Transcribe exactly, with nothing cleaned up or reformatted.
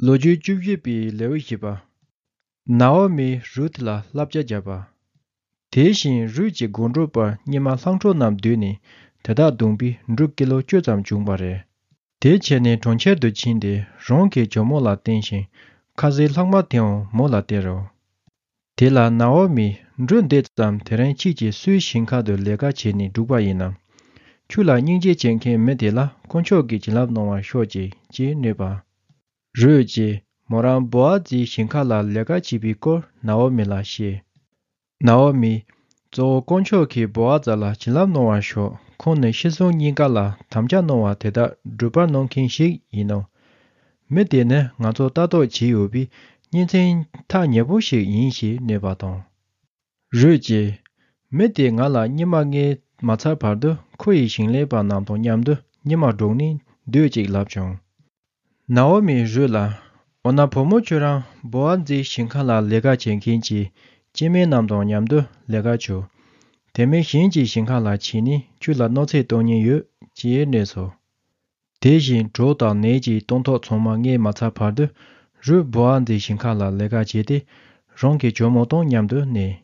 ལོ་རྒྱུས་བཅུ་བཞི་པའི་ལེའུ་བཞི་པ། ནའོ་མིས་རུད་ལ་བསླབ་བྱ་བརྒྱབ་པ། དེ་བཞིན་རུད་ཀྱི་སྒོམ་སྒྲུབ་པར་སྙེ་མ་ལྷམ་སྒྲོག་རྣམས་བསྡུས་ནས་དེ་དག་བརྡུངས་པས་འབྲུ་ཀི་ལོ་བཅུ་ཙམ་བྱུང་བ་རེད། དེ་བྱས་ནས་གྲོང་ཁྱེར་དུ་ཕྱིན་ཏེ་རང་གི་ཇོ་མོ་ལ་བསྟན་ཞིང་ཁ་ཟས་ལྷག་མ་དེའང་མོ་ལ་སྟེར་རོ། དེ་ལ་ནའོ་མིས་འབྲུ་འདི་ཙམ་དེ་རིང་ཁྱེད་ཀྱིས་སུའི་ཞིང་ཁ་དུ་ལས་ཀ་བྱས་ནས་བསྒྲུགས་པ་ཡིན་ནམ། ཁྱོད་ལ་སྙིང་རྗེ་བྱེད་མཁན་མི་དེ་ལ་དཀོན་མཆོག་གིས་བྱིན་རླབས་གནང་བར་ཤོག་ཅིག་ཅེས་སྨྲས་པ། རུད་ཀྱིས་མོ་རང་བོ་ཨ་ཛིའི་ཞིང་ཁ་ལ་ལས་ཀ་བྱེད་པའི་སྐོར་ནའོ་མི་ལ་བཤད། ནའོ་མིས། གཙོ་བོ་དཀོན་མཆོག་གིས་བོ་ཨ་ཛ་ལ་བྱིན་རླབས་གནང་བར་ཤོག་ཁོང་ནི་ཤི་གསོན་གཉིས་ཀ་ལ་དམ་བཅའ་གནང་བ་དེ་དག་སྒྲུབ་པར་གནང་མཁན་ཞིག་ཡིན་ནོ། མི་དེ་ནི་ང་ཚོ་ལྟ་རྟོག་བྱས་ཡོད་པའི་གཉེན་ཚན་ཐག་ཉེ་པོ་ཞིག་ཡིན་ཞེས་སྨྲས་པ་དང་། རུད་ཀྱིས། མི་དེས་ང་ལ་སྙེ་མ་བརྔས་མ་ཚར་བར་དུ་ཁོ་ཡི་ཞིང་ལས་པ་རྣམས་དང་མཉམ་དུ་སྙེ་མ་སྒྲོག་ནས་སྡོད་ཅིག་ལབ་བྱུང་། ནའོ་མིས་རུད་ལ། འོ་ན་བུ་མོ་ཁྱོད་རང་བོ་ཨ་ཛིའི་ཞིང་ཁ་ལ་ལས་ཀ་བྱེད་མཁན་གྱི་སྐྱེ་དམན་རྣམས་དང་མཉམ་དུ་ལས་ཀ་བྱོས། དེ་མིན་གཞན་གྱི་ཞིང་ཁ་ལ་ཕྱིན་ནས་ཁྱོད་ལ་གནོད་འཚེ་གཏོང་ཉེན་ཡོད་ཅེས་སྨྲས་སོ། དེ་བཞིན་གྲོགས་དང་ནད་ཀྱི་སྟོན་ཐོག་ཚང་མ་བརྔས་མ་ཚར་བར་དུ་རུད་བོ་ཨ་ཛིའི་ཞིང་ཁ་ལ་ལས་ཀ་བྱས་ཏེ་རང་གི་ཇོ་མོ་དང་མཉམ་དུ་གནས།